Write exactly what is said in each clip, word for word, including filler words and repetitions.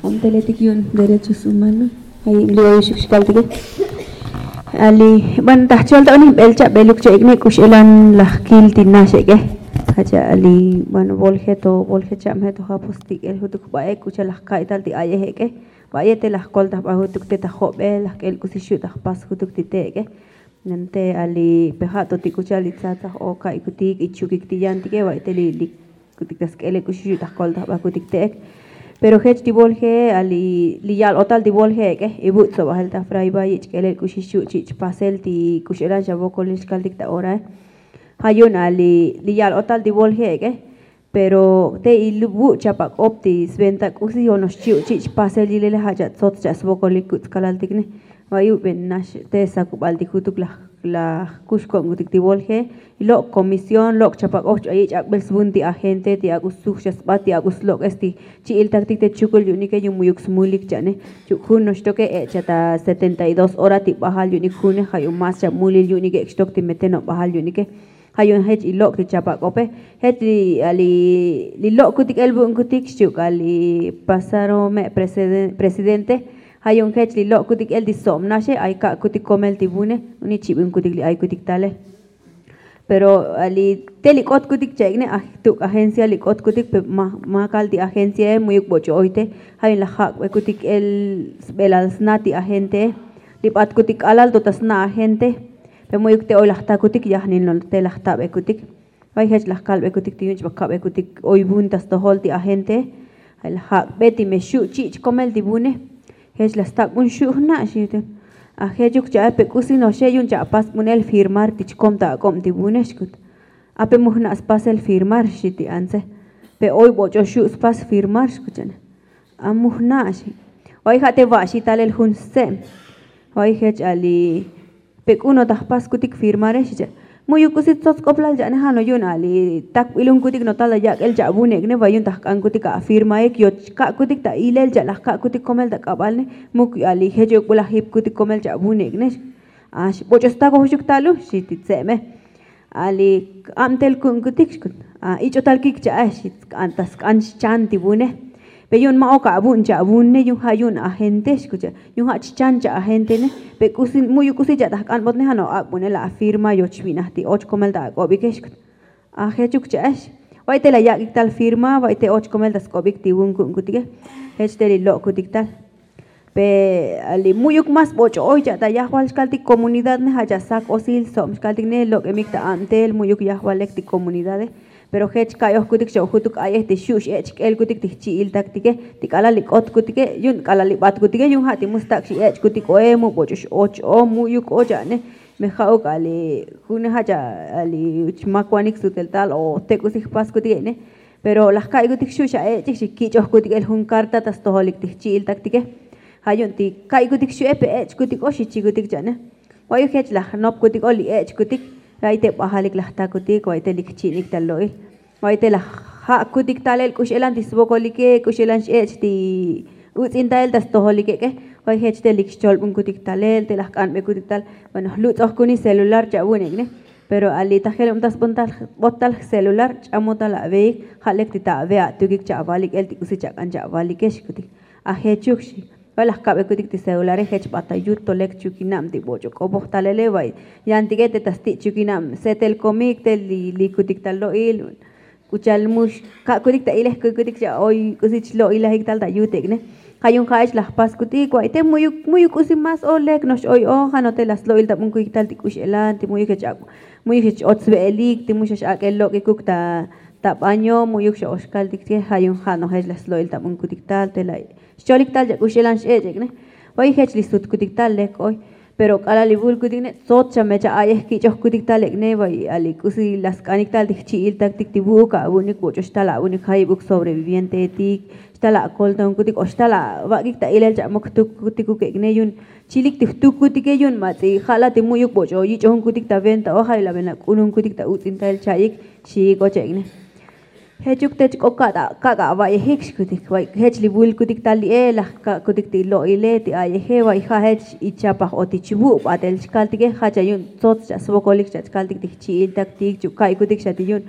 Jun teletik yu'un derechos humanos. Ay li oy xuk xkaltike. Ali bueno, ta jchol ta unik b'el cha' b'eluk cha' ik'ne k'u x'elan laj kil ti nax ek'e. Jacha' ali bueno, volje to volje cha'mje to japos ti k'el jutuk b'a'e k'u cha' laj ka'ytal ti ayej ek'e. B'a'ye te laj koltaj b'a jutuk te ta job'el laj k'el k'usi xu' ta jpas jutuk ti te ek'e. Yan te ali peja' to ti k'u cha' li tzatzaj o ka'ykutik ichukik ti yantike b'a'y te li li kutik ta sk'ele k'uxi xu' ta jkoltaj b'a kutik te'ek. Pero jech ti volje ali li yal otal ti volje ek'e ibu' tzobajel ta fray b'a yich' k'elel k'uxi xu' chich' pasel ti k'u x'elan xa vokolil xkaltik ta orae. Ja' yu'un ali li yal otal ti volje ek'e. Pero te ibu' chapak'op ti sventa k'usi yonox chi' chich' pasel yilele ja' cha' tsots cha' svokolik kutz kalaltik ne. Vayuben nax te sakubal ti jutuk laj laj kux ko'nkutik ti volje. Lok' comisión lok' chapak'oj ch'ayich' ak'bel svun ti agente ti ak'u sujxa sbat ti ak'u slok'es ti chi'iltaktik te chukul yu'unike yu'un mu'yuk smulik cha'ne. Chuk jun noxtoke ech' cha ta setenta y dos hora ti b'ajal yu'unik june ja' yu'un mas cha mulil yu'unik ek' xtok ti metenob b'ajal yu'unike. Ja' yu'un jech ilok' ti chapak'ope. Jech li lok' kutik el vu'un kutik xchuk ali pasaro me' presidente. Ja' yu'un jech li lok' kutik el ti sob naxe ay ka'kutik komel ti vune. Uni chib'in kutik li ay kutik tale. Pero ali te li k'ot kutik cha'ik'ne aj tuk' agencia li k'ot kutik pe makal ti agenciae mu'yuk b'och'o oyte. Ja' yu'un laj jak'be kutik el sb'elal sna ti agentee. Li b'at kutik k'alal to ta sna agente. Pe mu'yuk te oy laj takutik yajnil no te laj tab'e kutik. Vay jech laj kalb'e kutik ti yu'un chb'aj kab'e kutik oy vun ta stojol ti agente. Laj jak'be ti me xu' chich' komel ti vune. Jech laj stak' vun xu' jna' xi. Ajechuk cha'e pe k'usi noxe yu'un chapas vun el firmar ti chkom ta ak'ob ti vune xkut. Ape mu jna' spasel firmar xi ti antze. Pe oy b'och'o xu' spas firmar xkut cha'ne. Amu jna' xi. Vay ja' te va'xi talel jun stze'm. Vay jech ali pe k'u no ta jpas kutik firmare xi cha'. Mu'yuk k'usi tsots k'oplal cha'ne ja' no yu'un ali takb'ilun kutik no tal ta yak'el cha' vunek'ne vay yu'un ta jk'an kutik afirmaik yoch ka'kutik ta ilel cha' laj ka'kutik komel ta k'ab'alne. Muk ali jech ok b'ul ajip kutik komel cha' vunek'ne. Ax b'och'o stakoj xuk talu xi ti tze'me. Ali ab'tel ku'un kutik xkut. Ich'o tal kik cha'e xi. Ta sk'an xchan ti vune. Pe yu'un ma' ok avu'n cha' avunne yu'un ja' yu'un agente xkut. Yu'un ja' chchan cha' agentene. Pe k'usi mu'yuk k'usi cha' ta jk'anbotne ja' no ak'bunel afirma yoch vi'naj ti och komel ta ak'obike xkut. Ajechuk cha'ex. Vay te la yak'ik tal firma vay te och komel ta sk'obik ti vun ku'un kutike. Jech te li lok' kutik tal. Pe ali mu'yuk mas b'och'o oy cha' ta yajval xkaltik comunidad ne ja' cha' sak osil sob xkaltik ne lok'emik ta ab'tel mu'yuk yajvalek ti comunidade. Pero jech ka'yoj kutik xa jutuk ayej ti xu' x'ech' k'el kutik ti jchi'il taktike ti k'alal li k'ot kutike yu'un k'alal li b'at kutike yu'un ja' ti mu stak' xi ech' kutik oe mu b'och'o x'och o mu'yuk o cha'ne. Me ja'uk ali june ja' cha' ali chmakwanik sutel tal o te k'usi jpas kutik ek'ne. Pero laj ka'ykutik xu' xa ech'ik xi kich'oj kutik el jun karta ta stojolik ti jchi'il taktike. Ja' yu'un ti ka'ykutik xu'e pe ech' kutik o xi chikutik cha'ne. Vayuk jech laj nop kutik o li ech' kutik. Vay te b'ajalik laj takutik vay te li kchi'nik ta lo'il. Vay te laj ja' kutik talel k'u x'elan ti svokolike k'u x'elan x'ech' ti utz'in talel ta stojolike k'e. Vay jech te li kxcholb'un kutik talel te laj k'anb'e kutik tal. Bueno jlutz'oj kuni celular cha' vunek'ne. Pero ali ta jelub ta sb'ot tal jcelular ch'amot tal aveik. Ja' lek ti ta ave atukik cha' avalik el ti k'usi chak'an cha' avalike xkutik. Ajechuk xi. Vay laj kab'e kutik ti celulare jech b'at ta yut to lek chukinab ti b'och'o k'opoj talele vay. Yantike te ta sti' chukinab setel komik te li kutik ta lo'il. K'u cha'al mu xka'kutik ta ilej kukutik xa oy k'usi chlo'ilajik tal ta yutek'ne. Ja' yu'un ja'ech laj jpas kutik vay te mu'yuk mu'yuk k'usi mas o lek no'ox oy o ja' no te laj slo'il ta b'un kutik tal ti k'u x'elan ti mu'yuk jech ak' mu'yuk jech och sve'elik ti mu xa x'ak'el lok'ikuk ta ta baño mu'yuk xa oxkaltik ke. Ja' yu'un ja' no jech laj slo'il ta b'un kutik tal te la xcholik tal cha' k'u x'elan x'ech'ek'ne. Vay jech li sut kutik tal lek oy. Pero k'alal li vul kutik ne tsots xa me cha' ayej kich'oj kutik tal ek'ne vay ali k'usi la sk'anik tal ti jchi'il taktik ti vu'uk avu'unik b'och'o xtal avu'unik jayib'uk sobrevivienteetik xtal akoltonkutik o xtal avak'ik ta ilel cha' muk jtuk kutikuk ek'ne yu'un. Chilik ti jtuk kutike yu'un matz'i ja' la ti mu'yuk b'och'o yich'ojun kutik ta venta o ja' la vena k'unun kutik ta utz'in tal cha'ik. Xiik och ek'ne. Jechuk te chk'o kak' ava'yejik xkutik vay jech li vulkutik tal li'e laj ka'kutik ti lo'ile ti ayeje vay ja' jech ichapaj o ti chvu' b'atel chkaltike ja' cha' yu'un tsots cha' svokolik cha' chkaltik ti jchi'il taktik chuk ka'ykutik xa ti yu'un.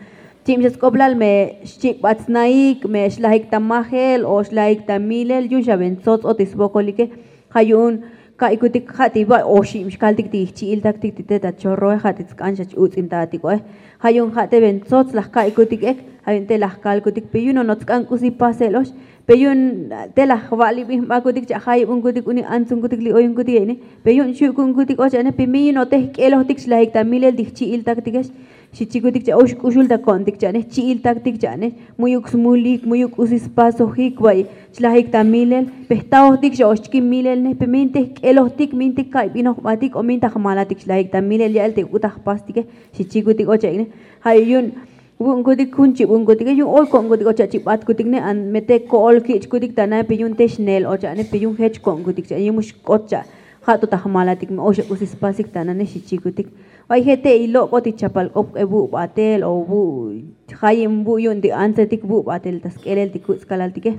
Xim xa sk'oplal me xchik'bat snaik me xlajik ta majel o xlajik ta milel yu'un xa ven tsots o ti svokolike. Ja' yu'un ka'ikutik ja' ti ba' oxib xkaltik ti jchi'iltaktik ti te ta chorroe ja' ti tsk'an xa ch-uts'intatik oe. Ja' yu'un ja' te ven tsots laj ka'ikutik ek. Ja' yu'un te laj kalkutik pe yu'un nono tsk'an k'usi pasel ox. Pe yu'un te laj va'libinbakutik cha' jayibunkutik uni antsunkutik li oyunkutik e'ine. Pe yu'un xu' ku'unkutik och ane pe mi yu'un o te jk'elojtik xlajik ta milel ti jchi'iltaktikex. Xi chikutik cha' oy xk'uxul ta ko'ntik cha'ne jchi'iltaktik cha'ne. Mu'yuk smulik mu'yuk k'usi spasojik va'y chlajik ta milel. Pe jtaojtik xa ox chki milel ne pe mintik jk'elojtik mintik ka'y binojbatik o minta jmalatik chlajik ta milel ya'el te uk'u ta jpastike. Xi chikutik och ek'ne. Ja' yu'un vu'unkutik jun chibunkutike yu'un oy ko'nkutik och cha' chibatkutik ne an me te ko'ol kich'kutik ta nae pe yu'un te xneel och cha'ne pe yu'un jech ko'nkutik cha'ne yu'un mu xk'ot cha' ja' to ta jmalatik me oy xa k'usi spasik ta nane xi chikutik. Va'y je' te' ilok'o ti chapal k'op k'e vu' batel o vu' jayim vu' yu'un ti antsetik vu' batel ta sk'elel ti kuts' kalaltike.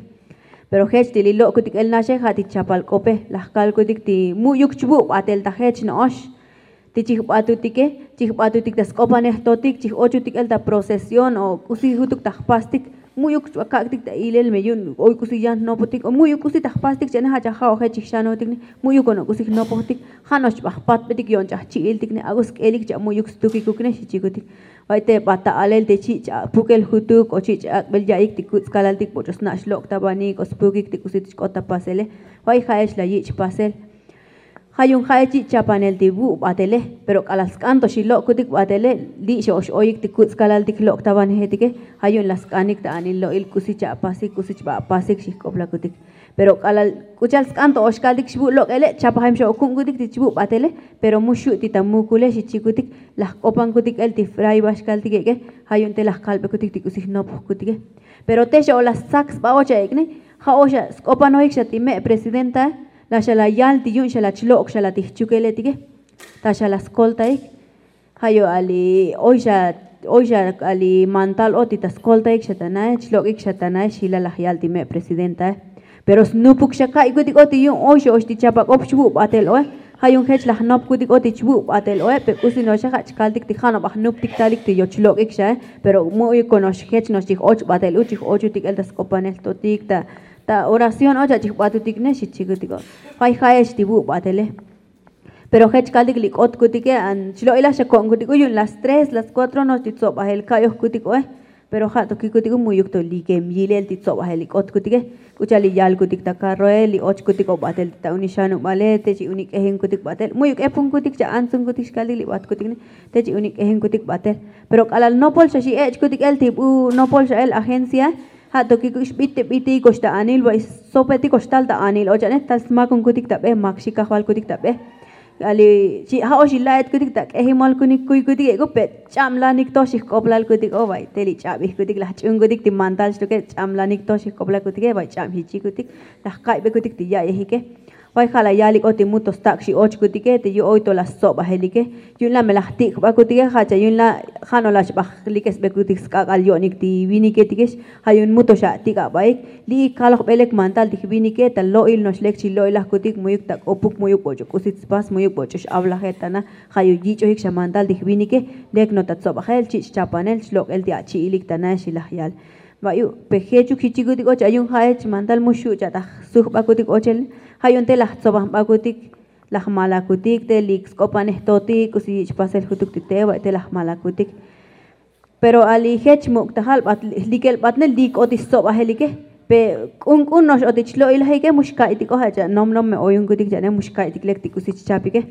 Pero jech ti li lok'kutik el naxe ja' ti chapal k'ope laj kalkutik ti mu'yuk chvu' batel ta jech no'ox. Ti chijbatutike chijbatutik ta sk'opanej totik chijochutik el ta procesión o k'usi jutuk ta jpastik. Mu'yuk chbakak'tik ta ilel me yu'un oy k'usi yan jnopotik o mu'yuk k'usi ta jpastik cha'ne ja' cha ja'oje chijxanotik ne. Mu'yuk o no k'usi jnopojtik ja' nox chba jpatbetik yo'on ch'aj chi'iltik ne ak'u sk'elik cha' mu'yuk stukikuk ne xi chikutik. Va'y te ba ta alel te chi' ch'ak'pukel jutuk o chi' ch'ak'bel ya'iyik ti kuts' kalaltik boch'o sna' xlok' ta banik o spukik ti k'usi ti chk'ot ta pasele. Va'y ja'ech la yich' pasel. Ja' yu'un ja'ech yich' chapanel ti vu' batele. Pero k'alal sk'an to xi lok'kutik batele li' xa ox oyik ti kuts' kalaltik jlok' ta banejetike. Ja' yu'un la sk'anik ta anil lo'il k'usi cha'pasik k'usi chba'pasik xi jk'oplakutik. Pero k'alal k'u cha'al sk'an to ox kaltik xvu' lok'ele chapajim xa o ku'unkutik ti chvu' batele. Pero mu xu' ti ta mukule xi chikutik. Laj k'opankutik el ti fray ba xkaltik ek'e. Ja' yu'un te laj kalbekutik ti k'usi jnopojkutike. Pero te xa o la stsak sba och a ek'ne. Ja' o xa sk'opanojik xa ti me' presidentae. La xa la yal ti yu'un xa la chlok' xa la ti jchukeletike. Ta xa la skoltaik. Ja' yu' ali oy xa oy xa ali mantal o ti ta skoltaik xa ta nae chlok'ik xa ta nae xi la laj yal ti me' presidentae. Pero snupuk xa ka'ikutik o ti yu'un oy xa ox ti chapak'op chvu' batel oe. Ja' yu'un jech laj nopkutik o ti chvu' batel oe pe k'usi no'oxe ja' chkaltik ti ja' noba jnuptik talik ti yoch lok'ik xae. Pero mu'yuk o no'ox jech no'ox chij och batel u chij ochutik el ta sk'opanel totik ta oración och a chij batutik ne xi chikutik o. Va'y ja'ech ti vu' batele. Pero jech kaltik li k'otkutike an chlo'ilaj xa ko'nkutik u yu'un las tres las kuatro no'ox ti tsobajel ka'yojkutik oe. Pero ja' to kikutik u mu'yuk to likem yilel ti tsobajel li k'otkutike. K'u cha'al li yalkutik ta karroe li ochkutik o batel ti ta uni xanubale te chi uni k'ejinkutik batel mu'yuk epunkutik cha' antsunkutik xkaltik li batkutik ne. Te chi uni k'ejinkutik batel. Pero k'alal nopol xa xi ech'kutik el ti bu nopol xa el agencia. Ja' to kikuk xbit te bitikox ta anil va'y sopetik ox tal ta anil o cha'ne tal smakunkutik ta be mak xi kajvalkutik ta be. Ali chi' ja' ox ila'etkutik ta k'ejimolkunik kuykutik ek'u pe ch'ablanik to xi jk'oplalkutik o va'y te li ch'abijkutik laj ch'unkutik ti mantal xtuke ch'ablanik to xi jk'oplalkutike va'y ch'ab xi chikutik. Laj ka'ybekutik ti ya'yejike. Va'y ja' la yalik o ti mu to stak' xi ochkutike ti yu' oy to la stsobajelike. Yu'un la me laj tik'bakutike ja' cha yu'un la ja' no la xba jlikesbekutik sk'ak'al yo'nik ti viniketikex. Ja' yu'un mu to xa atik'abaik. Li'ik kalojbelek mantal ti jvinike ta lo'il no'ox lek chi lo'ilajkutik mu'yuk ta k'opuk mu'yuk boch'o k'usi tspas mu'yuk boch'o x'avlaje ta na. Ja' yu' yich'ojik xa mantal ti jvinike. Lek no ta tsobajel chi' chchapanel chlok'el ti achi'ilik ta nae xi laj yal. Va'yu' pe jechuk xi chikutik o cha yu'un ja'ech mantal mu xu' cha ta jsujbakutik ochel. Ja' yu'un te laj tsobanbakutik laj malakutik te li sk'opanej totik k'usi yich' pasel jutuk ti te va'y te laj malakutik. Pero ali jech muk' ta jal bat jlikel batne li k'ot ti stsobajelike. Pe k'un k'un no'ox o ti chlo'ilajike mu xka'ytik o ja' cha' nomnom me oyunkutik cha'ne mu xka'ytik lek ti k'usi chchapike.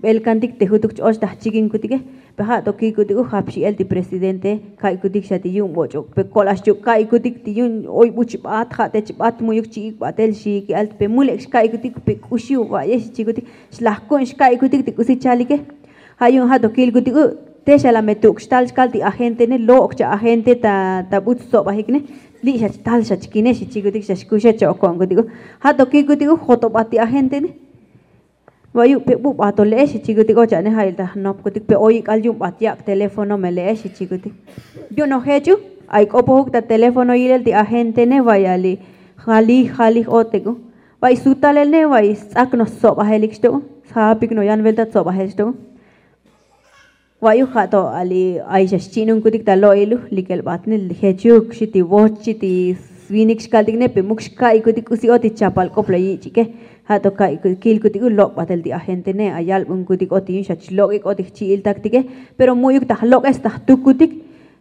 B'elkantik te jutuk ch-och ta jchikinkutike. Pe ja' to kikutik u japxi'el ti presidente ka'ykutik xa ti yu'un boch'o pe ko'lax chuk ka'ykutik ti yu'un oy bu chbat ja' te chbat mu'yuk chi'ik batel xi ki'al pe mu lek xka'ykutik pe k'uxi u ba'ye xi chikutik. Xlaj ku'n xka'ykutik ti k'usi chalike. Ja' yu'un ja' to kilkutik u te xa la me tuk' xtal chkal ti agente ne lok' cha agente ta ta bu tsobajik ne. Li' xa chtal xa chkine xi chikutik xa xkuxe cha oko'nkutik u. Ja' to kilkutik u jotobat ti agente ne. Va'yu' pe bu bato le'ex xi chikutik o cha'ne ja' il ta jnopkutik pe oy ik'al yu'un bat yak' teléfono me le'ex xi chikutik. Yu'un o jech u ay k'opojuk ta teléfono yilel ti agente ne va'y ali jalij jalij otik u. Va'y sutalel ne va'y sts'ak no stsobajelik xtok u. Sjapik no yan velta tsobajel xtok u. Va'yuj ja' to ali ay xa xchi'nunkutik ta lo'il u likel b'atnel jechuk xi ti voch xi ti svinik xkaltik ne pe muk xka'ikutik k'usi o ti chapal k'op la yich'ike. Ja' to ka'ikutik kilkutik u lok' b'atel ti agente ne ayalb'unkutik o ti yun xa chlok'ik o ti jchi'iltaktike. Pero mu'yuk ta jlok'es ta jtukutik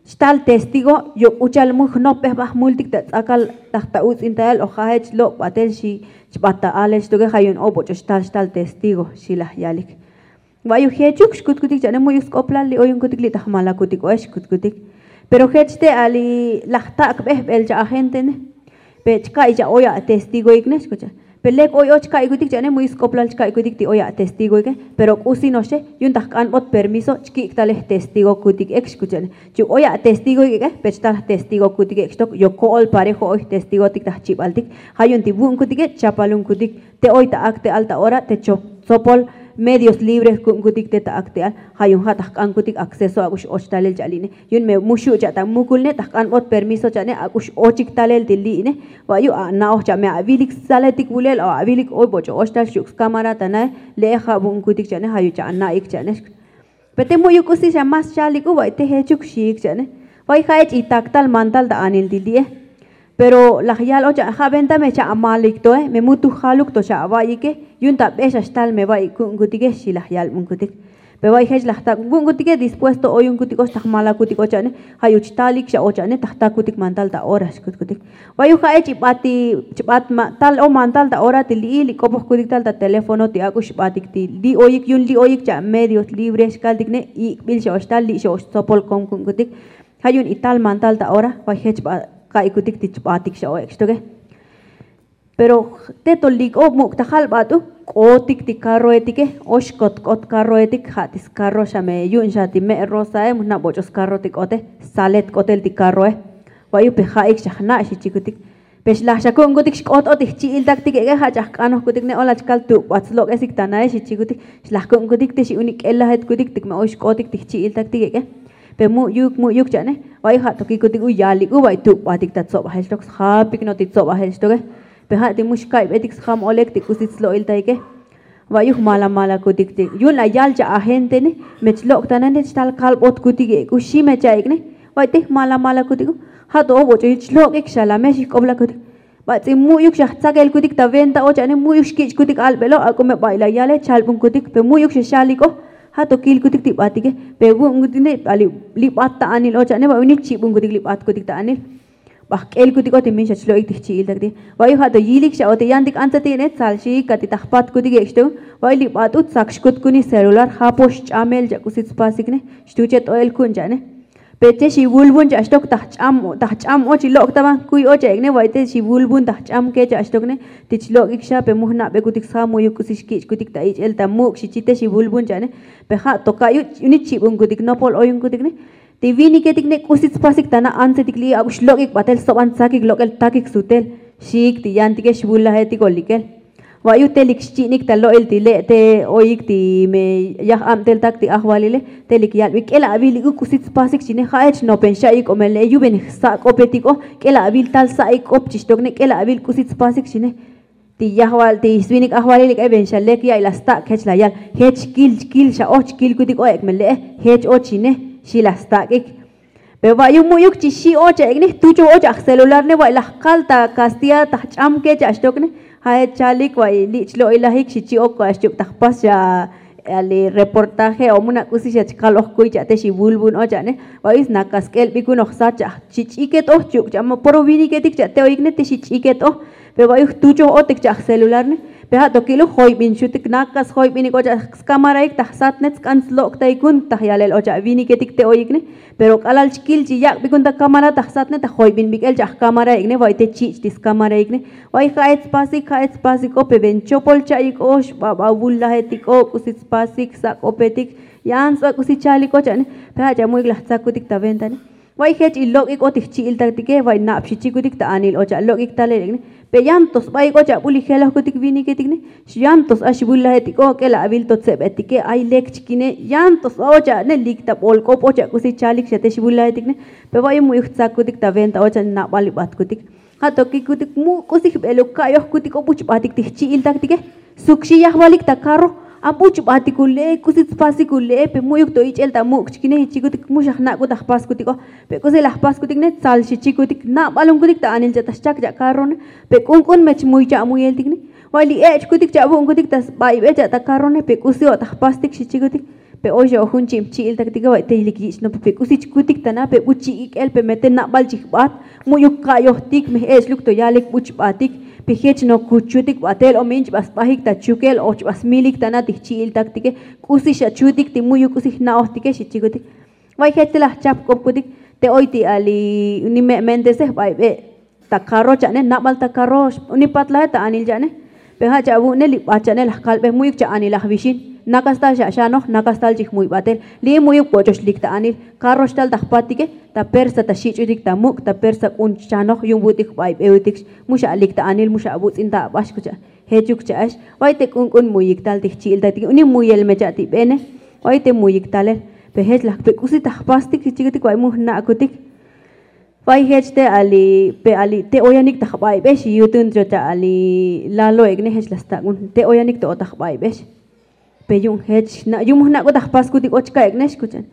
xtal testigo. Yuk uchal mu jnopbej b'aj multik ta tz'akal taj ta utz'intael o ja' jech lok' b'atel xi chb'at ta alel xtoke ja' yun ob'och'o xtal xtal testigo xi laj yalik. Va'yuj jechuk xkutkutik cha'ne mu'yuk sk'oplal li oyunkutik li ta jmalakutik oe xkutkutik. Pero jech te ali laj tak' b'ejb'el cha agente ne pe chka'iy cha oy a testigoik ne xkucha. Pe lek oy o chka'ikutik cha'ne mu'yuk sk'oplal chka'ikutik ti oy a testigoike. Pero k'usi noxche yun ta jk'anb'ot permiso chkik' tal jtestigokutik ek xkucha'ne. Chuk oy a testigoik ek'e pe chtal jtestigokutik ek xtok yo ko'ol parejo oy jtestigotik ta jchib'altik. Ja' yun ti vu'unkutike chapalunkutik te oy ta akte'al ta ora te chop tzopol medios libre jku'unkutik te ta akte'al. Ja' yun ja' ta jk'ankutik acceso ak'ux och talel cha'li'ne yun me muxu' cha' ta mukul ne ta jk'anb'ot permiso cha'ne ak'ux ochik talel ti li'ine. Va'yu' ana'oj cha' me avilik saletik vulel o avilik oy boch'o och tal xuk' skámara ta nae. Le'e ja' vu'unkutik cha'ne ja' yu' cha' ana'ik cha'ne. Pe te mu'yuk k'usi xa más chalik u va'i te jechuk xiik cha'ne. Va'i ja' ech itaktal mantal ta anil ti li'e. Pero laj yal ocha ja' venta me cha' amalik toe me mu tu jaluk to xa ava'yike. Yun ta b'e xa xtal me va'i ku'unkutike xi laj yalb'unkutik. Pe va'i jech laj tak' vu'unkutike dispuesto oyunkutik och ta jmalakutik ocha'ne. Ja' yu' chtalik xa ocha'ne ta jtakutik mantal ta ora xkutkutik. Va'yu ja' ech ib'at ti chb'at tal o mantal ta ora ti li'il ik'opojkutik tal ta teléfono ti ak'ux b'atik ti li oyik yun li oyik cha' medios libre xkaltik ne ik'b'il xa och tal li' xa och tzopol komku'unkutik. Ja' yun ital mantal ta ora vay jech b'a ka'ikutik ti chb'atik xa o ek' xtoke. Pero te to li k'o muk' ta jalb'at u k'otik ti karroetike. Ox kot k'ot karroetik ja' ti skarro xa me yu'un xa ti me' rosae mu jna' boch'o skarro ti k'ote. Salet k'otel ti karroe. Va'yu pe ja'ik xa jna' xi chikutik. Pe xlaj xa ku'unkutik xk'ot o ti jchi'iltaktik ek'e ja' cha jk'anojkutik ne ola chkal tuk'bat slok'esik ta nae xi chikutik. Xlaj ku'unkutik te xi unik k'elajetkutik tik me oy xk'otik ti jchi'iltaktik ek'e. Pe mu'yuk mu'yuk cha'ne. Va'yu ja' to kikutik u yalik u va'y tuk'batik ta tzob'ajel xtok sjapik no ti tzob'ajel xtoke. Pe ja' ti mu xka'ib'etik sjam olek ti k'usi tslo'iltaike. Va'yuj mala malakutik ti yu'un la yal cha agente ne. Me chlok' ta nane chtal kalb'otkutik ek' u xi me cha'ik ne. Va'y te mala malakutik u ja' to o boch'o yich lok'ik xa la me xi jk'oplakutik. Bats'in mu'yuk xa jtzakelkutik ta venta o cha'ne mu'yuk xkich'kutik alb'elo ak'o me ba'y la yale chalb'unkutik pe mu'yuk xa xalik o. Ja' to kilkutik ti b'atike. Pe vu'unkutik ne li b'at ta anil o cha'ne va'y unik chib'unkutik li b'atkutik ta anil. B'aj k'elkutik o ti min xa chlo'ik ti jchi'iltak ti. Va'yu ja' to yilik xa o ti yantik antza ti ne tsalxiik ka ti ta jpatkutik ek' xto. Va'yu li b'at u tsak xkutkuni celular japo xch'amel cha' k'usi tspasik ne. Xtuche t'o'el ku'un cha'ne. Pe che xi vulvun cha' xtok ta jch'am o ta jch'am o chi lok' ta ban kuy o cha' ek' ne va'y te xi vulvun ta jch'am ke cha' xtok ne. Ti chlok'ik xa pe mu jna'bekutik sja mu'yuk k'usi xkich'kutik ta ich'el ta muk' xi chi te xi vulvun cha'ne. Pe ja' to ka'yu' unik chib'unkutik nopol oyunkutik ne. Ti viniketik ne k'usi tspasik ta na antzetik li'i ak'ux lok'ik b'atel soban tsakik lok'el takik sutel. Xiik ti yantike xvulajetik o likel. Va'yu telik xchi'nik ta lo'il ti le' te oyik ti me yaj abteltak ti ajvalile. Telik yalb'ik k'el avil ik'u k'usi tspasik chine ja' ech nopen xa'ik o me le' yuben jsak'opetik o k'el avil tal sa'ik k'op chixtok ne k'el avil k'usi tspasik chine. Ti yajval ti svinik ajvalil ik'e ven xa lek ya'iy la stak' jech la yal. Jech kil kil xa och kilkutik o ek' me le'e jech och ine. Xi la stak'ik. Pe va'yu mu'yuk chi xi' och a ek'ne jtuchoj och a jcelular ne va'y la jkal ta kastilla ta jch'am kech a xtok ne. Ja' jech chalik va'y li' chlo'ilajik xi chi' ok a xchuk' ta jpas xa. Ali reportaje o muna' k'usi xa chkal oj kuy cha' te xi vulvun och a ne. Va'yu sna kask'el b'ikun oj sat cha' xi ch'iket oj chuk' cha' ma poro viniketik cha' te oyik ne te xi ch'iket oj. Pe va'yu jtuchoj otik cha' jcelular ne. Pe ja' to kil u joyb'in xutik nakas joyb'inik och a skamaraik ta jsat ne tsk'an tslok'taikun ta jyalel och a viniketik te oyik ne. Pero k'alal chkil chi yak'bikun ta kamara ta jsat ne ta joyb'in b'ik'el cha' jkamaraik ne va'y te chich' ti skamaraik ne. Va'y ja'ech tspasik ja'ech tspasik o pe ven chopol cha'ik o xb'ab'a vulajetik o k'usi tspasik sak'opetik. Yan tsba k'usi chalik och a ne. Pe ja' cha' mu'yuk la jtzakutik ta venta ne. Va'y jech ilok'ik o ti jchi'iltatike va'y nab xi chikutik ta anil och a lok'ik talel ek' ne. Pe yan to sb'a'ik och a b'ul ijelojkutik viniketik ne. Yan to sba xvulajetik o k'el avil to tseb'etike ay lek chkine yan to sba och a ne lik ta b'olk'op och a k'usi chalik xa te xvulajetik ne. Pe va'yu mu'yuk jtzakutik ta venta och a nab'al ib'atkutik. Ja' to kikutik mu' k'usi jb'eluk ka'yojkutik o buchb'atik ti jchi'iltaktike. Suk xi yajvalik ta karro. Abuch'batik ule'e, k'usi tspasik ule'e, pe mu'yuk to ich'el ta muk' chikine, xi chikutik. Mu xa jnak'ut ta jpaskutiko, pe k'usi laj jpaskutik ne, tsal xi chikutik. Nab'alunkutik ta anil cha' ta xchak cha' karrone, pe k'unk'un me chmuy cha' muyeltik ne. Vay li ech'kutik cha' vu'unkutik ta sb'aybe cha' ta karrone, pe k'usi o' ta jpastik, xi chikutik. Pe oy xa o jun chim chi'iltaktike, vay te lik yich' nopik, pe k'usi chkutik ta na, pe buch'ik'el, pe me te nab'al chi jb'at. Mu'yuk ka'yojtik, me ech'luk to yalik buch'batik, pe jech nokuchutik b'atel, o me yin chb'a sb'ajik ta chukel o chb'a smilik ta na ti jchi'iltaktike. K'usi xa chutik ti mu'yuk k'usi jna'ojtike, xi chikutik. Vay jech te laj chapk'opkutik te oy ti ali ni me' mentesej b'aybe ta karro cha'ne, nab'al ta karro, ni patlaje ta anil cha'ne. Pe ja' cha' vu'une li b'at cha'ne laj kalbe, mu'yuk cha' anil laj vixin, nakastal xa xanoj, nakastal chi jmuy b'atel. Li mu'yuk b'och'och lik ta anil, karro xtal ta jpatike, ta persa ta xich'utik ta muk', ta persa k'un chanoj, yu'un vu'tik b'aybeutik, mu xa alik ta anil, mu xa avutz'in ta ab'ax, kucha'. Jechuk cha'ex. Vay te k'unk'un mu'yik tal ti jchi'iltaktike, uni muyel me cha' ti b'ene. Vay te mu'yik talel, pe jech laj pe k'usi ta jpastik, xi chikutik, vay mu jna'kutik. Vay jech te ali, pe ali te oyanik ta jb'aybex, xi yutun cho ta ali lalo ek'ne, jech la stak'un te oyanik to o ta jb'aybex. Pe yu'un jech na, yu'un mu jnak'ut ta jpaskutik o chka' ek'nex, kuchan.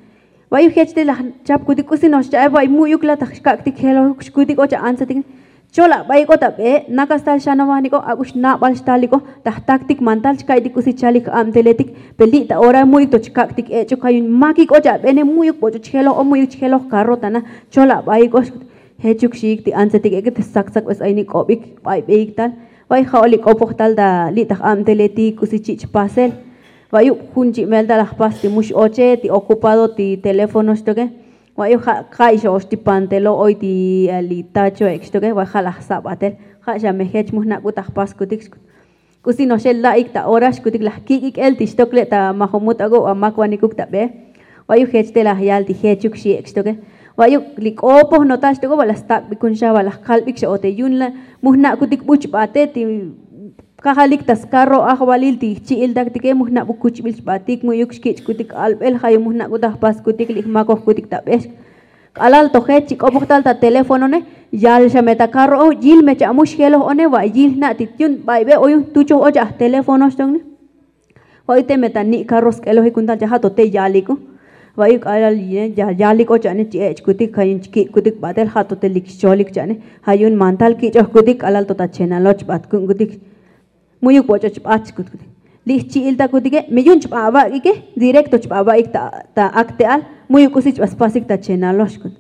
Vay jech te laj chapkutik, k'usi no'ox cha'e, vay mu'yuk la ta xkak'tik jeloj xkutik o cha' antsetik ne. Chol ab'ayik o ta b'e, nakastal xanovanik o, ak'ux nab'al xtalik o, ta jtaktik mantal chka'ytik k'usi chalik abteletik. Pe li' ta ora mu'yuk to chkak'tik ech'uk, ja' yu'un makik o cha' b'ene, mu'yuk b'och'och jeloj o, mu'yuk chi jeloj karro ta na. Chol ab'ayik o, xkut. Jechuk xiik ti antsetik ek'e te ssak ssak b'es ayinik k'ob'ik b'aybeik tal. Vay ja' o li k'opoj tal ta li' ta j'abteletik k'usi chi' chpasel. Vayuk jun chi' mel tal laj jpas ti mu x'oche, ti ocupado ti teléfono xtoke. Vayuk ja' ka'y xa ox ti pantelo oy ti ali tacho ek' xtoke, vay ja' laj jsa b'atel. Ja' xa me jech mu jnak'ut ta jpaskutik, xkut. K'usi no'ox el la'ik ta ora, xkutik, laj kik'ik el ti xtok le' ta majomut ak'o amakvanikuk ta b'e. Vayuk jech te laj yal ti jechuk xi ek' xtoke. Vayuk li k'opoj no'ox tal xtok'o, va laj stak'bikun xa, va laj kalb'ik xa o te yu'un la mu jna'kutik buch'b'ate ti kajalik ta skarro ajvalil ti jchi'iltaktike, mu jna'buk kuchb'il chb'atik, mu'yuk xkich'kutik alb'el, ja' yu'un mu jnak'ut ta jpaskutik li jmakojkutik ta b'e. K'alal to jech chi k'opoj tal ta teléfonone, yal xa me ta karro o, yil me cha' mu xjeloj one, va yil jna' ti yu'un b'aybe o yu'un jtuchoj o cha' jteléfono xtokne. Vayuk te me ta ni' karro sk'elojik jun tal cha' ja' to te yalik o. Vayuk k'alal ya yalik o cha'ne chi ech'kutik, ja' yu'un chkik'kutik b'atel, ja' to te lik xcholik cha'ne. Ja' yu'un mantal kich'ojkutik k'alal to ta chenalo chb'at ku'unkutik. Mu'yuk b'och'och b'at xkut. Li jchi'iltakutike me yu'un chb'a avak'ike, directo chb'a avak'ik ta akte'al, mu'yuk k'usi chb'a spasik ta chenalo xkut.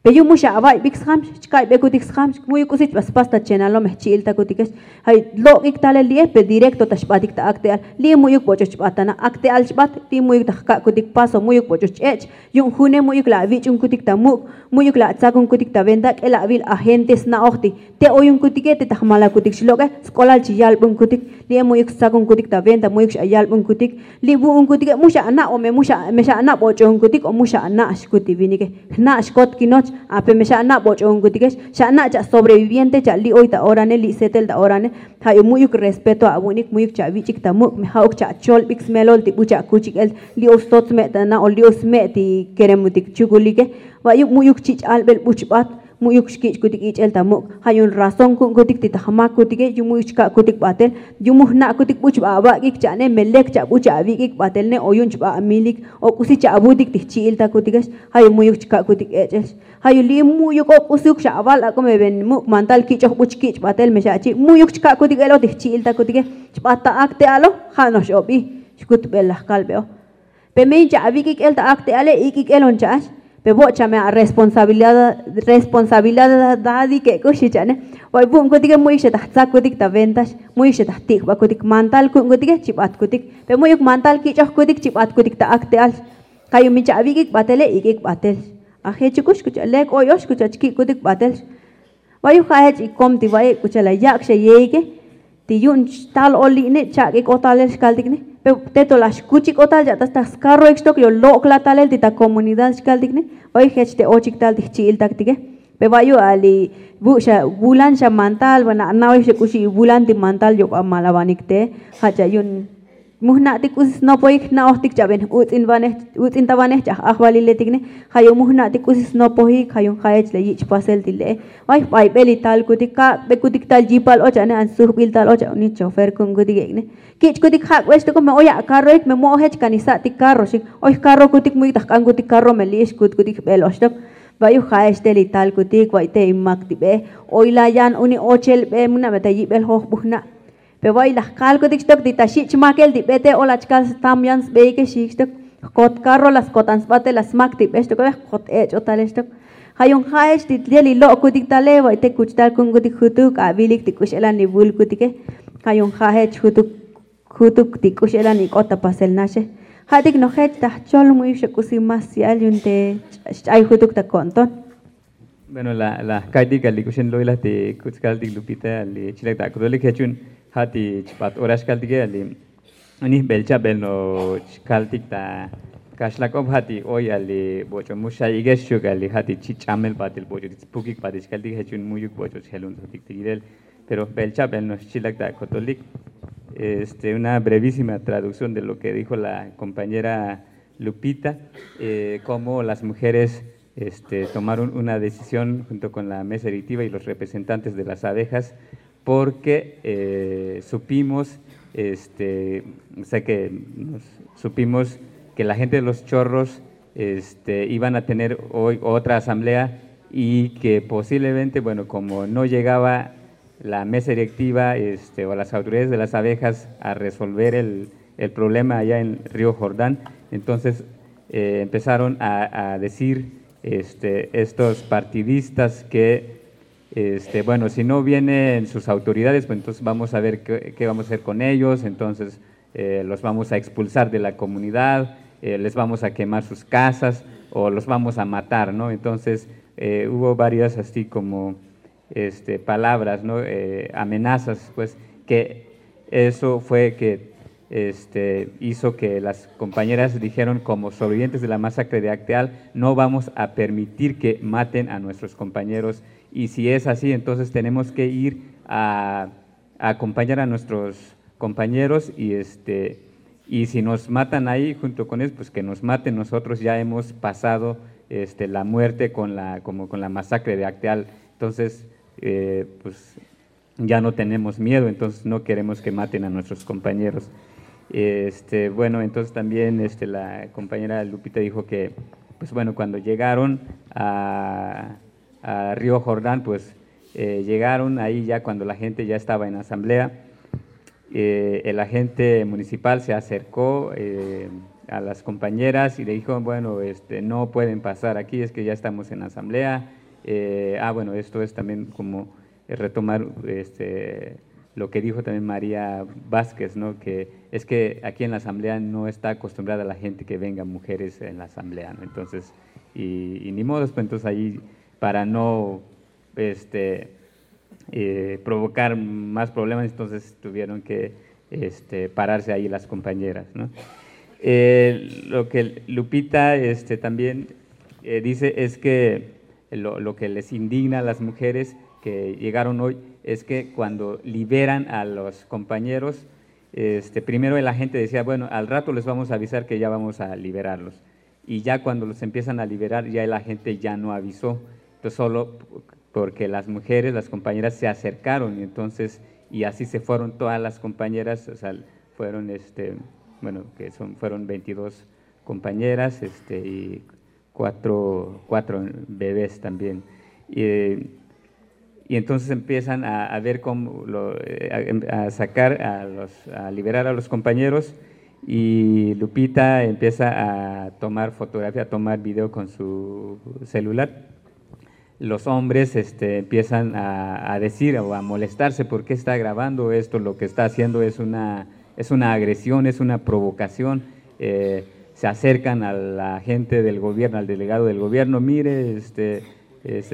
Pe yu'un mu xa avayb'ik sjam, chka'ybekutik sjam, mu'yuk k'usi chb'a spas ta chenalo me jchi'iltakutikex. Ja' lok'ik talel li'e, pe directo ta xb'atik ta akte'al, li' mu'yuk b'och'och b'at ta na, akte'al chb'at, li' mu'yuk ta jka'kutik paso, mu'yuk b'och'och ech'. Yu'un june mu'yuk la avich'unkutik ta muk', mu'yuk la atsakunkutik ta venta, k'el avil agente sna'oj ti te oyunkutik e te ta jmalakutik xlok'e, sk'olal chi yalbunkutik. Li'e mu'yuk stsakunkutik ta venta, mu'yuk xa yalbunkutik. Li' vu'unkutike mu xa ana' o me mu xa, me xa ana' b'och'o'unkutik o mu xa ana' xkut ti vinike. Jna' xkot kinoch, ape me xa ana' b'och'o'unkutikex, xa ana' cha' sobreviviente cha' li' oy ta orane, li' setel ta orane. Ja' yu'un mu'yuk respeto avu'unik, mu'yuk cha' avich'ik ta muk', me ja'uk cha' acholb'ik smelol ti buch' akuchik el, li' oy stot sme' ta na o li' oy sme' ti keremutik chukulike. Vayuk mu'yuk chich' alb'el buch'b'at, mu'yuk xkich'kutik ich'el ta muk'. Ja' yu'un razón ku'unkutik ti ta jmakutike, yu'un mu'yuk chka'kutik b'atel, yu'un mu jna'kutik buch'b'a avak'ik cha'ne, me lek cha' buch' avik'ik b'atel ne o yu'un chb'a amilik o k'usi cha' avutik ti jchi'iltakutikex. Ja' yu'un mu'yuk chka'kutik ech'el. Ja' yu'un li' mu'yuk o k'usiuk xa aval ak'o me ven muk' mantal kich'oj buch' kich' b'atel me xa achi, mu'yuk chka'kutik el o ti jchi'iltakutike. Chb'at ta akte'alo, ja' no'ox obi, xkut b'el laj kalb'e o. Pe me yin cha' avik'ik el ta akte'ale, ik'ik el on cha'ax. Pe vo'cha me aresponsabilidad, responsabilidad dadike k'ux, xi cha'ne. Vay vu'unkutike mu'yuk xa ta jtsakutik ta ventax, mu'yuk xa ta jtik'b'akutik, mantal ku'unkutike chi b'atkutik. Pe mu'yuk mantal kich'ojkutik chi b'atkutik ta akte'al. Ja' yu'un mi cha' avik'ik b'atele, ik'ik b'atel. Ajechukux kucha' lek oy ox kucha' chkik'kutik b'atel. Vayuk ja' jech ikom ti va'e' kucha' la yak' xa yeike. Ti yu'un tal o li'ne chak'ik o talel xkaltik ne. Pe te to la xkuchik o tal cha' ta skarroik xtok, yo lok'la talel ti ta komunidad xkaltik ne. Vayuk jech te ochik tal ti jchi'iltaktike. Pe vayuk ali vu' xa vulan xa mantal, va na' na'oy xa k'uxi vulan ti mantal yob'a malavanik te. Ja' cha' yu'un Mujna'tik k'usi snopojik jna'ojtik cha'ben utz'intabanej ch'aj ajvaliletik ne. Ja' yu'un mujna'tik k'usi snopojik ja' yu'un ja'ech la yich' pasel ti le'e. Vay jbaybel li talkutik kak'bekutik tal yipal och ane an sujbil tal och ane chofer ku'unkutik ek' ne. Kich'kutik jak'bextoko me oy akarroik me mo'ojech kan isa'tik karro xik. Oy jkarrokutik mu'yuk ta jk'ankutik karro me li'ix kutkutik jbel oxtok. Va'yu ja'ex te li talkutik va'y te imak ti be. Oy la yan uni ochel be muna' me ta yibel jojbujna'. Pe va'y laj kalkutik xtok ti ta xich' makel ti be te olach kal stam yan sbeike xik xtok. Jkot karro la skotan sba te la smak ti be xtok oy jkot ech'o tale xtok. Ja' yu'un ja'ech ti tel li lo'kutik tale va'y te kuchtal ku'unkutik jutuk avilik ti k'u x'elan li vulkutike. Ja' yu'un ja'ech jutuk jutuk ti k'u x'elan ik'ot ta pasel naxe. Ja'tik nojech ta jchol mu'yuk xa k'usi mas ya'el yu'un te xch'ay jutuk ta ko'nton. Bueno, la la jka'ytik a li k'u xen lo'ilaj ti kutz'kaltik lupita li chilak ta akotolik jech yu'un ja' ti chpat ora xkaltike a li unij bel cha'bel no'ox kaltik ta kaxlak'ob ja' ti oy a li boch'o muxayikex xuk a li ja' ti chi' ch'amel patil boch'o ti spukik patil xkaltik jech yu'un mu'yuk boch'o xjeluntotik ti yilel. Pero bel cha'bel no'ox chilak ta akotolik. Este una brevísima traducción de lo que dijo la compañera Lupita, cómo las mujeres este tomaron una decisión junto con la mesa directiva y los representantes de las abejas, porque supimos este o sea que supimos que la gente de los chorros este iban a tener hoy otra asamblea y que posiblemente bueno como no llegaba la mesa directiva este o las autoridades de las abejas a resolver el el problema allá en río jordán. Entonces empezaron a decir este estos partidistas que este bueno si no vienen sus autoridades pues entonces vamos a ver qué vamos a hacer con ellos. Entonces los vamos a expulsar de la comunidad, les vamos a quemar sus casas o los vamos a matar, no. Entonces hubo varias así como este palabras, no, amenazas pues que eso fue que este hizo que las compañeras dijeron como sobrevivientes de la masacre de acteal no vamos a permitir que maten a nuestros compañeros. Y si es así entonces tenemos que ir a acompañar a nuestros compañeros y este y si nos matan ahí junto con ellos pues que nos maten, nosotros ya hemos pasado este la muerte con la como con la masacre de acteal. Entonces pues ya no tenemos miedo, entonces no queremos que maten a nuestros compañeros. Este bueno entonces también este la compañera lupita dijo que pues bueno cuando llegaron a río jordán pues llegaron ahí ya cuando la gente ya estaba en asamblea. El agente municipal se acercó a las compañeras y le dijo bueno este no pueden pasar aquí es que ya estamos en asamblea. Ah bueno esto es también como retomar este lo que dijo también maría vásquez, no, que es que aquí en la asamblea no está acostumbrada la gente que venga mujeres en la asamblea, no. Entonces y ni modos pues entonces ahí para no este provocar más problemas entonces tuvieron que este pararse ahí las compañeras, no. Lo que lupita este también dice es que lo que les indigna a las mujeres que llegaron hoy es que cuando liberan a los compañeros este primero la gente decía bueno al rato les vamos a avisar que ya vamos a liberarlos. Y ya cuando los empiezan a liberar ya la gente ya no avisó. Entonces solo porque las mujeres las compañeras se acercaron y entonces y así se fueron todas las compañeras, o sea fueron este bueno que son fueron veintidós compañeras este y cuatro cuatro bebés también. Y entonces empiezan a ver cómo a sacar a los a liberar a los compañeros. Y lupita empieza a tomar fotografía a tomar video con su celular. Los hombres este empiezan a decir o a molestarse por qué está grabando esto lo que está haciendo es una es una agresión es una provocación. Se acercan a la gente del gobierno al delegado del gobierno mire este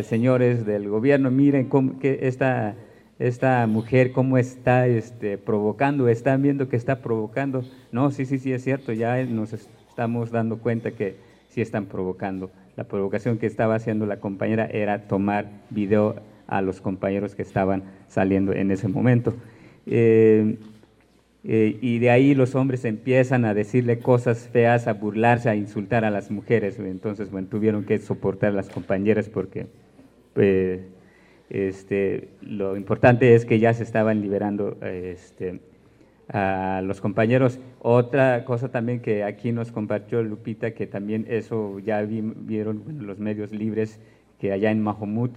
señores del gobierno miren esta esta mujer cómo está este provocando están viendo que está provocando. No sí sí sí es cierto ya nos estamos dando cuenta que sí están provocando. La provocación que estaba haciendo la compañera era tomar video a los compañeros que estaban saliendo en ese momento. Eh, y de ahí los hombres empiezan a decirle cosas feas, a burlarse, a insultar a las mujeres. Entonces, bueno, tuvieron que soportar a las compañeras porque, pues, este, lo importante es que ya se estaban liberando, este, a los compañeros. Otra cosa también que aquí nos compartió Lupita, que también eso ya vi- vieron, bueno, los medios libres, que allá en Mahomut,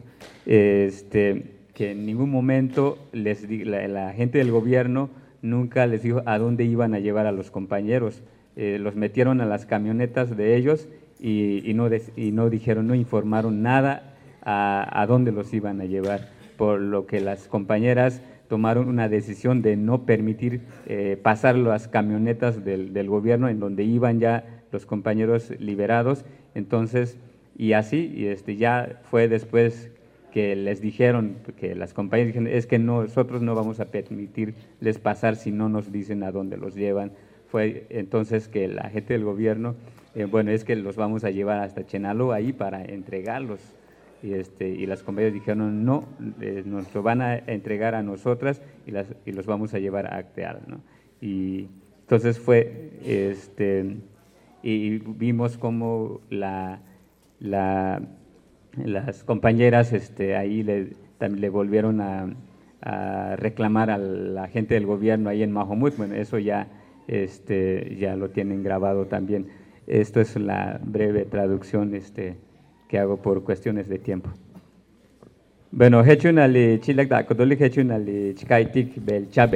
este, que en ningún momento les di- la, la gente del gobierno nunca les dijo a dónde iban a llevar a los compañeros. Eh, los metieron a las camionetas de ellos y, y no, des- y no dijeron, no informaron nada a, a dónde los iban a llevar, por lo que las compañeras tomaron una decisión de no permitir eh, pasar las camionetas del, del gobierno en donde iban ya los compañeros liberados. Entonces, y así, y este, ya fue después que les dijeron, que las compañías dijeron, es que no, nosotros no vamos a permitirles pasar si no nos dicen a dónde los llevan. Fue entonces que la gente del gobierno, eh, bueno, es que los vamos a llevar hasta Chenaló ahí para entregarlos. Y, este, y las compañías dijeron, no, eh, nos lo van a entregar a nosotras y, las, y los vamos a llevar a Acteal, ¿no? Y entonces fue, este, y vimos como la, la, las compañeras este, ahí le, tam- le volvieron a, a reclamar a la gente del gobierno ahí en Mahomut. Bueno, eso ya, este, ya lo tienen grabado también. Esto es la breve traducción este, que hago por cuestiones de tiempo. Bueno, jechunali chilak ta kotolik jechunali chikaitik bel chabe